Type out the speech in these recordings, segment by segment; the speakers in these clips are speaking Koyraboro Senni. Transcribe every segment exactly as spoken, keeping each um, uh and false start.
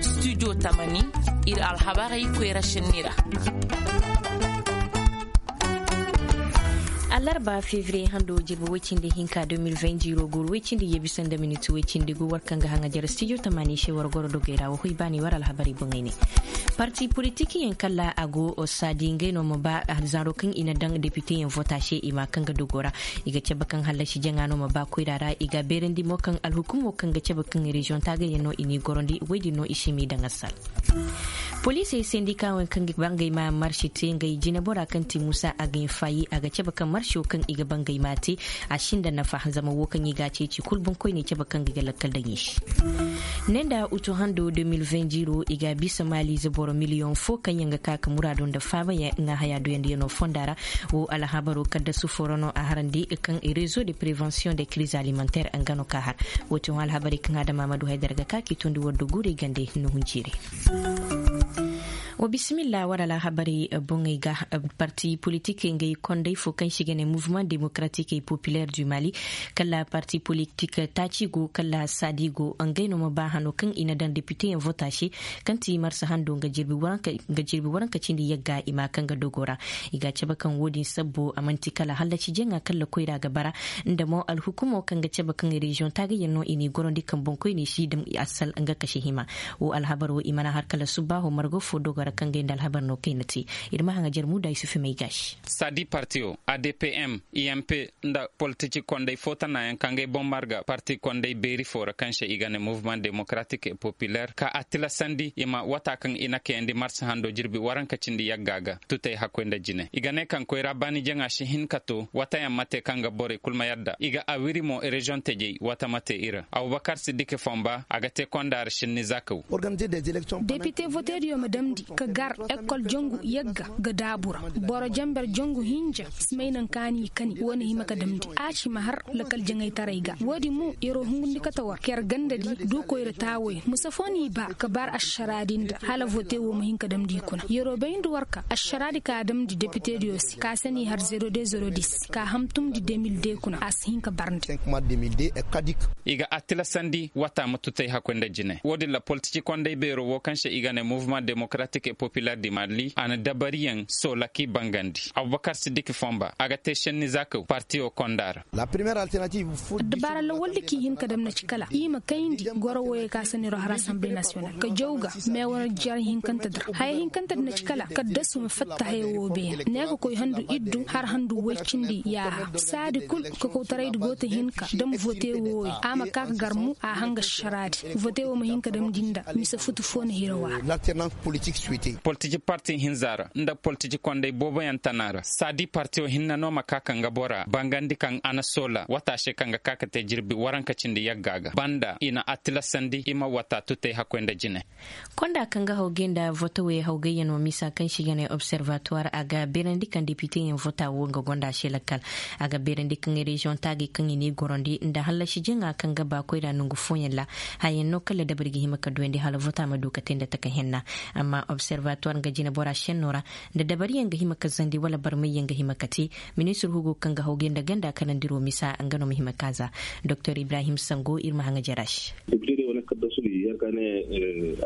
Studio tamani, ir alhabarey koyra sinni ra. Alarba fevriye hando jirbi woy cindi hinka deux mille vingt ziro guru woy cindi ye bisa nda miniti woy cindi gu war kaŋ ga haŋa jare studio tamani se war goro dogey ra wa hoy baani war alhabarey boŋey ne. Parti politikiyaŋ kala a go saadi ngey no ma ba zanro kaŋ i na daŋ depiteyaŋ vota se i ma kaŋ ga dogo ra. I ga cabe kaŋ hallasi jaŋa no ma ba koyra ra i ga beerandi mo kaŋ alhukumo kaŋ ga cabe kaŋ reziyoŋ taagayaŋ no i n'i gorandi woy din no i si m'i daŋ assal. Poliisey sendikaawey kaŋ ga bangay ma marsi te ngey jinebora kaŋ ti muusa a ga hin faayi a ga cabe kaŋ marso kaŋ i ga bangay ma te a sinda nafa zama wo kaŋ i ga a ceeci kul boŋkoyney cabe kaŋ ga i ga lakkal daŋ i se. Ne nda utu hando deux mille vingt ziro i ga bisa maaliize boro miliyoŋ fo kaŋ yaŋ ga ka ka muraado nda faaba yaŋ ŋaahayaa duyandiyanoo fonda ra. Wo alhabaro kaddasu foro no a harandi kaŋ rezo de prevention de kiriz alimentaire nga no ka har. Wo ti hõ alhabarey kaŋ adama ma du haydara ga ka k'i tondi war do guurey gande nuhun jiirey. Wa bisimilla war alhabarey boŋey ga. Parti politikey ngey konday fo kaŋ se i ga ne mouvement démocratique et populaire du mali, kala parti politik taaci go kala saadi go ngey no ma ba hano kaŋ i na daŋ depiteyaŋ vota se kaŋ ti marsa hando nga jirbi waranka cindi yagga i ma kaŋ ga dogo ra. I ga a cabe kaŋ wo-din sabbo a man'ti kala hallaci jaŋa kala koyra ga bara. Nda mo alhukumo kaŋ ga cabe kaŋ reziyoŋ taagayaŋ no i n'i gorandi kaŋ boŋkoyney si dam i assal nga kase hima. Wo alhabar wo i mana har kala subbaaho margo fo dogo ra kaŋ ga ay nda alhabar no kayna te. Ir ma haŋa jar muuda isufi may gaasi. Sadi partiyo adpm imp nda politici konday fo tanayaŋ kaŋ ga ay boŋ marga parti konday beeri fo ra kaŋ se i ga ne mouvement démocratique et populaire ka a tilasandi i ma wata kaŋ i na kayandi marsa hando jirbi waranka cindi yagga ga tutay hakkoy nda jine i ga ne kaŋ koyra baani jaŋa si hin ka to watayaŋ ma te kaŋ ga borey kul ma yadda i ga a wiri mo reziyoŋ tejey wata ma te i ra abubakar siddiki fonba a ga te konda ra sinni zakaw. Depite voteediyo ma damndi ka gar ekol jangu yagga ga daabu ra. Boro jamber jangu hinja si may naŋ kaani kani wo na hima ka damndi a si ma har lakal jaŋaytaray ga wo-din mo yeroo hungundi kate war ka yer ganda di du koyra taawo yaŋ misa fo n'i ba ka bar ašaraa din da hala vote wo ma hin ka damndi i kuna yeroo bayndi war ka ašaraa di ka a damndi depiteediyo se ka se n'i har zero de zero dis ka a hamtumndi deux mille deux kuna a si hin ka barndi. I ga a tilasandi wata ma tutay hakkoy nda jine wo-din ra politici konday beero wo kaŋ se i ga ne mouvement démocratique et populaire du mali a na dabariyaŋ soola k'i bangandi abubakar siddiki fonba a ga te senni za kaw partiyo konda ra. Addabaara lawaldi k'i hin ka dam na ci kala i ma kayndi goro wooyey ka se niro har assemblée nationale ka jaw ga meewa jar hinkante di ra haya hinkante di na ci kala kaddasu ma fatta haya woo beene ne ka koy handu iddu har handu woy cindi yaaha saadi kul kakawtaraydi go ta hinka dam vote wooyo a ma ka ka gar mo a hanga šaraadi vote woo ma hin ka damndi nda mise futu foo na hira wa. Politici parti hinza ra nda politici konday booboyaŋ tana ra saadi partiyo hinne no ma ka ka nga bora bangandi kaŋ a na soola wata se kaŋ ga ka ka te jirbi waranka cindi yagga ga banda i na a tilasandi i ma wata tutay hakkoy nda jine. Konda kaŋ ga hawgay nda votowey hawgayyaŋo misa kaŋ se i ga ne observatoire a ga beerandi kaŋ depiteyaŋ vota wo nga gonda se lakkal. A ga beerandi kaŋ reziyoŋ taagay kaŋ i n'i gorandi nda hallasi jaŋa kaŋ ga ba koyra nongu fooyaŋ ra. Hayaŋ no kala dabari ga hima ka duyandi hala vota ma du ka te nda taka henna. Amma observatoire nga jinebora senno ra nda dabariyaŋ ga hima ka zandi wala barmayyaŋ ga hima ka te. Ministir hugo kaŋ ga hawgay nda ganda kanandiro misa nga no ma hima ka za. Doktor ibrahim sango ir ma haŋa jara se. Depite de wane kaddasu di yer ka ne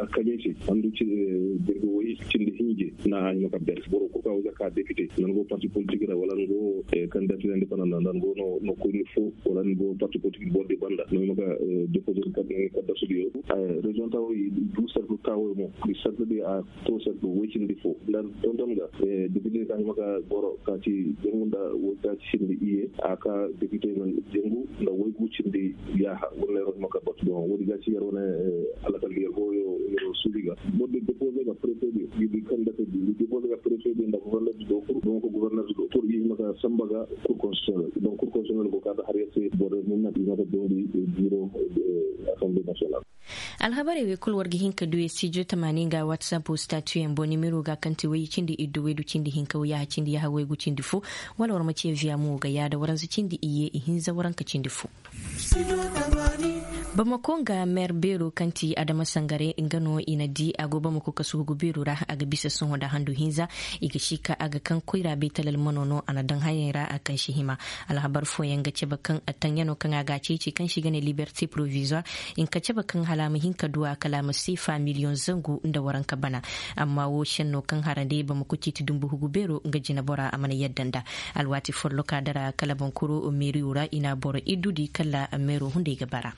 alkamiisi handu jirbi woy cindi hinje na a hima ka ber boro kul ka wayza ka depite nan go parti politik ra wala nan go kandidati independant nan go no koyni fo wala nan go parti politik boro di banda no hima ka depoze kaddasu di yo. Reziyoŋ tawo i du sartu tawo mo i sartu di a to sartu woy cindi fo nda tonton ga depite ka hima ka goro ka ci jangu nda woy ka ci cindi iye a ka depite na jangu nda woy gu cindi yaaha wala yer hima ka batu bon woodi ga ci yer wane alakal yer go yo yer suubi ga boro di depoze ga préfet di di kandidati di depoze ga préfet di nda gouverneur di do kur donc gouverneur di do kur i hima ka samba ga cour constitutionnel donc cour constitutionnel go ka da har yer se boro di mun na i hima ka dondi bureau assemblée nationale. Alhabarey wey kul war ga hin ka du studio tamaani nga whatsapp statuyaŋ boŋ nimero ga kaŋ ti way cindi iddu waydu cindi hinka wayyaha cindi yaha waygu cindi fo wala war ma ce via mo ga yaada waranza cindi iyye ihinza waranka cindi fo. Bamako nga meer beero kaŋ ti adama sangare nga no i na di a go bamako kasu hugu beero ra a ga bisa sohõ nda handu hinza. I ga si ka a ga kaŋ koyra beetalal mano no a na daŋ hayaŋ ra a kaŋ si hima. Alhabar fooyaŋ ga cabe kaŋ taŋyano kaŋ a ga a ceeci kaŋ si ga ne liberte provisoir. Hinka cabe kaŋ hala a ma hin ka du a kala a ma seefa miliyoŋ zangu nda waranka bana. Amma wo senno kaŋ harande bamako ciiti dumbu hugu beero nga jinabora a mana yadda nda. Alwaati folloka dara kala bonkuru meeriyo ra i na boro iddu di kala meero hunday ga bara.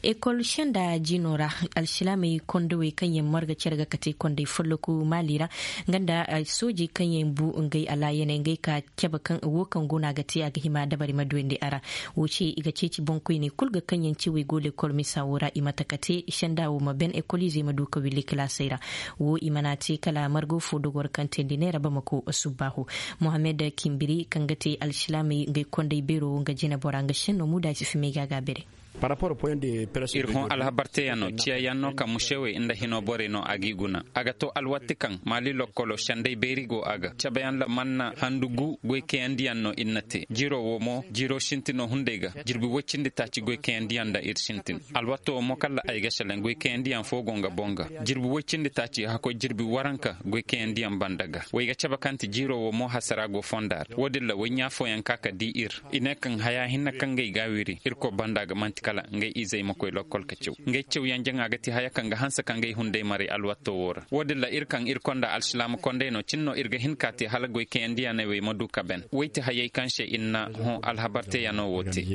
Ekol senda jino ra, alsilaamey kondowey kaŋ yaŋ marga care ga kate kondey folloku maali ra, nga nda soojey kaŋ yaŋ bu ngey alaayaney ngey ka cabe kaŋ wo kaŋ go no a ga te a ga hima dabari ma duwandi a ra. Wo ce i ga ceeci boŋkoyney kulu ga kaŋ yaŋ cewey go lekol misa wo ra i ma taka te senda wo ma ben ekoliizey ma du ka willi kilaasey ra. Wo i mana te kala margo fo dogor kaŋ teendi neera bamako subbaahu. Mohammed kimbiri kaŋ ga te alsilaamey ngey kondey beero wo nga jinabora nga senno muda si fimey ga a ga a bere. Ir hõ alhabar teyaŋo ciyayaŋ no ka musewey nda hino borey no a g'i guna. A ga to alwatti kaŋ maali lokkolo sendey beeri go a ga cabeyaŋ la manna handu gu goykayandiyaŋ no ir na te jiro wo mo jiro sintino hunday ga. Jirbi woy cindi taaci goykayandiyaŋ nda ir sintin alwatto wo mo kala ay ga selaŋ goykayandiyaŋ fo go nga boŋ ga. Jirbi woy cindi taaci hakkoy jirbi waranka goykayandiyaŋ banda ga way ga cabe kaŋ ti jiro wo mo hasara go fonda ra wo- din ra way ɲaa fooyaŋ ka ka di ir. I ne kaŋ haya hinne kaŋ ga i ga a wiri irkoy banda ga man'ti kala ngey izey ma koy lokkol ka caw. Ngey cawyaŋ jaŋa ga ti haya kaŋ ga hanse ka ngey hunday maray alwatto wo ra wo- din ra ir kaŋ ir konda alsilaama kondey no cin no ir ga hin ka te hala goy kayandiyaney wey ma du ka ben wey ti hayey kaŋ se ir na hõ alhabar teyaŋo wo te.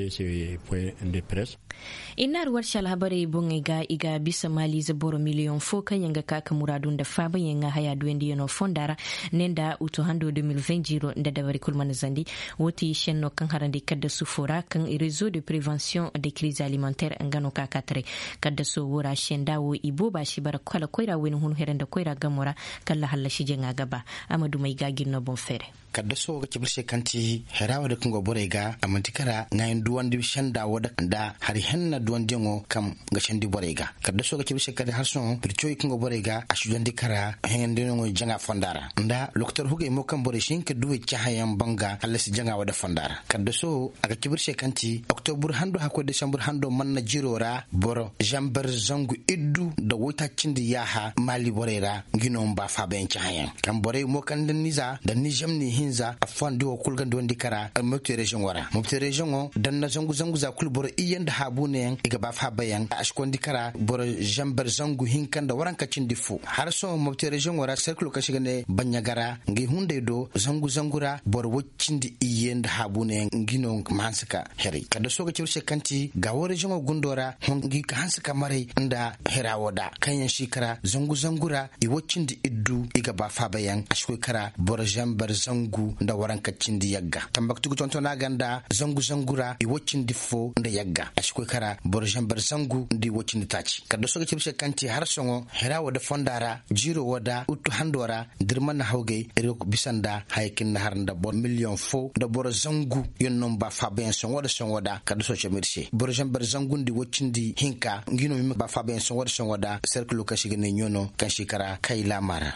I na arwarsi alhabarey boŋey ga i ga bisa maaliize boro miliyoŋ fo kaŋ yaŋ ga ka ka muraadu nda faabayaŋ ŋaa haya duwandiyaŋo fonda ra. Ne nda utu hando de mil vingt jiro nda dabari kul mana zandi. Wo ti senno kaŋ harandi kaddasu fo ra kaŋ rezo de prevention de kriz alimentaire nga no ka ka taray. Kaddaso wo ra senda wo i booba si bara kala koyra wayna hun here nda koyra gamo ra. Kala hallasi jaŋa ga ba. A ma dumey ga gir no boŋ feere. Kaddaso ga cabe ir se kaŋ ti hera wo da kaŋ go borey ga a man'ti kara ŋaayan duwandi senda wo da nda hari henna duwandiyaŋo kaŋ ga sendi borey ga. Kaddaso ga cabe ir se kaŋ ti har sohõ bircoy kaŋ go borey ga a si duwandi kara hengandinaŋo jaŋa fonda ra nda lokotor hugey mo kaŋ borey si hin ka duwey cahãyaŋ boŋ ga hallasi jaŋa wo da fonda ra. Kaddaso a ga cabe ir se kaŋ ti oktobur hando hakkoy desambur hando manna jiro ra boro zambar zangu iddu nda woytaaci cindi yaaha maali borey ra. Ngi no ma ba faabayaŋ cahãyaŋ kaŋ borey mo kaŋ nda niza nda nizam ni hinza affooyaŋ di wo kul ga nda wandi kara mobti reziyoŋo ra mobti reziyoŋo danna zangu zangu za kul boro iyye nda haabuunayaŋ i ga ba faabayaŋ a si koyandi kara boro zambar zangu hinka nda waranka cindi fo har sohõ mobti reziyoŋo ra serkilo kaŋ se i ga ne baɲɲagara ngi hunday do zangu zangu ra boro woy cindi iyye nda haabuunayaŋ ngi no ma hanse ka heray kaddaso ga cabe ir se kaŋ ti gaawo reziyoŋo gundo ra hõ ngi ka hanse ka maray nda hera wo da kaŋ yaŋ si kara zangu zangu ra i woy cindi iddu i ga ba faabayaŋ a si koy kara boro zambar zangu nda waranka cindi yagga tambaktu ga tontona ga nda zangu zangu ra i woy cindi fo nda yagga a si koy kara boro zambar zangu nda i woy cindi taaci kaddaso ga cabe ir se kaŋ ti har sohõ hera wo da fonda ra jiiro wo da uttu hando ra da ir mana hawgay ir ga bisa nda haya kaŋ ir na har nda boro miliyoŋ fo nda boro zangu yaŋ no ma ba faabayaŋ sohõ wo da sohõ wo da kala da sohõ cabe ir se boro zambar zangu nda i woy cindi hinka ngi no ma ba faabayaŋ sohõ wo da sohõ wo da serkilo kaŋ se i ga ne ɲoono kaŋ se i kara kaylaama ra.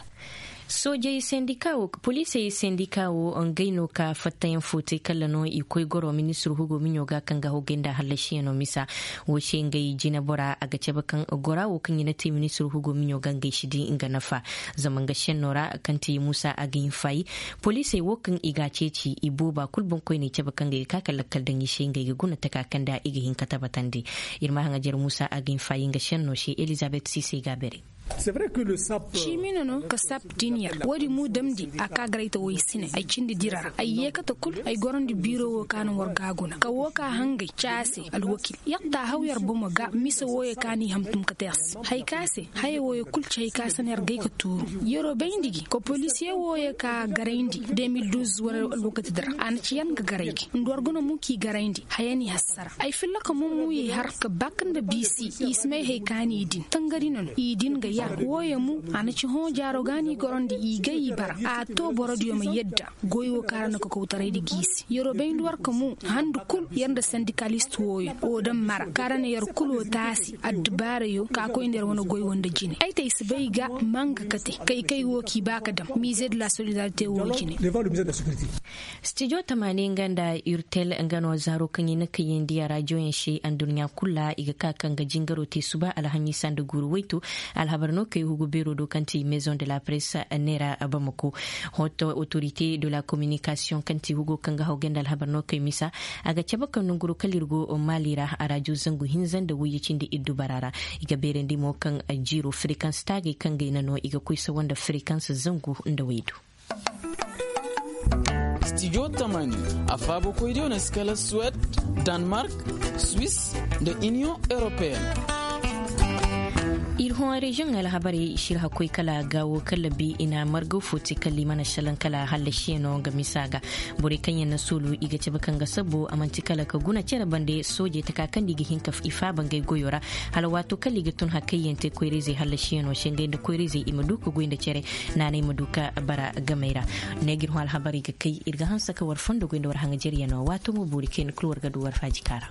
Soojey sendika wo poliisey sendika wo ngey no ka fattayaŋ fo te kala no i koy goro ministir hugo miɲo ga kaŋ ga hawgay nda hallasiyaŋo misa. Wo se ngey jinabora a ga cabe kaŋ gora wo kaŋ i na te ministir hugo miɲo ga ngey si di nga nafa. Zama nga senno ra kaŋ ti muusa a ga hin faayi poliisey wo kaŋ i ga a ceeci i booba kulu boŋkoyney cabe kaŋ ga i ga ka ka lakkal daŋ i se ngey ga guna taka kaŋ nda i ga hin ka tabatandi. Ir ma haŋajer muusa a ga hin faayi nga senno se elizabet siisey ga a bere. Ciimi no no ka sap din yer wo-din mo damndi a ka garay ta woy sine ay cindi dira ra ay yeekate kul ay gorandi biiro wo ka na war ga a guna ka wo ka hangay ca a se alwakil yer ta haw yer bomo ga mise wooyo ka n'i hamtum ka te a se. Hay ka se haya wooyo kul ci hay ka se no yer gay ka tuuru. Yer'o bayndi gi kopoliisiye wooyo ka garayndi de mil duuz wane alwakati di ra a na ci yer ga garay gi nda war guna mo k'i garayndi haya n'i hassara ay filla ka mumuyey har ka bak nda biisi i si may hay ka n'i din tangari no no i din ga. Wooyo mo a na ci hõ jaaro ga no i gorandi i gay i bara a to borodiyo ma yadda. Goy wo kaŋ ra na kokoytaray di giisi yer'o bayndi war ka mo handu kul yer nda sandikalist wooyo woo daŋ mara kaŋ ra na yer kul wo taasi addubaarayo ka koy nda yer wane goy wo nda jine ay te ay si bay ga manga kate kay kay wo k'i ba ka daŋ miize de la solidarite woo jine. Stijo tamaani nga nda urtel nga no zaaro kaŋ i na kayandi a rajoyaŋ se adduɲɲa kul ra i ga ka kaŋ ga jingaro te suba alhamiisa nda guuru waytu. Alhabar no kay hugu beero do kaŋ ti maison de la presse neera bamako. Hoto autorite de la communication kaŋ ti hugo kaŋ ga haw ganda alhabar no kay misa a ga cabe kaŋ nanguro kala ir go mali ra a rajo zangu hinza nda wayye cindi ir dubara ra. I ga beerandi mo kaŋ jiiro frequence taagay kaŋ ga i na no i ga koy sawa nda frequence zangu nda waydu. Stijo tamani a faabokoydiyo na si kala suwed, danmark, swis, nda iniyoŋ europeen. Ir hõ reziyoŋ alhabarey si ir hakkoy kala gaawo kala bi i na margaw fo te kala i mana salaŋ kala hallasiyaŋo nga misa ga. Borey kaŋ yaŋ na soolu i ga cabe kaŋ ga sabbo a man'ti kala ka guna cere bande soojey taka kaŋ nda i ga hin ka i faaba ngey goyo ra. Hala waato kala i ga tun hakayyaŋ te koyra-izey hallasiyaŋo se ngey nda koyra-izey i ma du ka goy nda cere. Naanay ma du ka bara gamey ra. Ne ga ir hõ alhabarey ga kay ir ga hanse ka war fondo goy nda war haŋajeryaŋo waato mo boori kayna kul war ga du war faajika ra.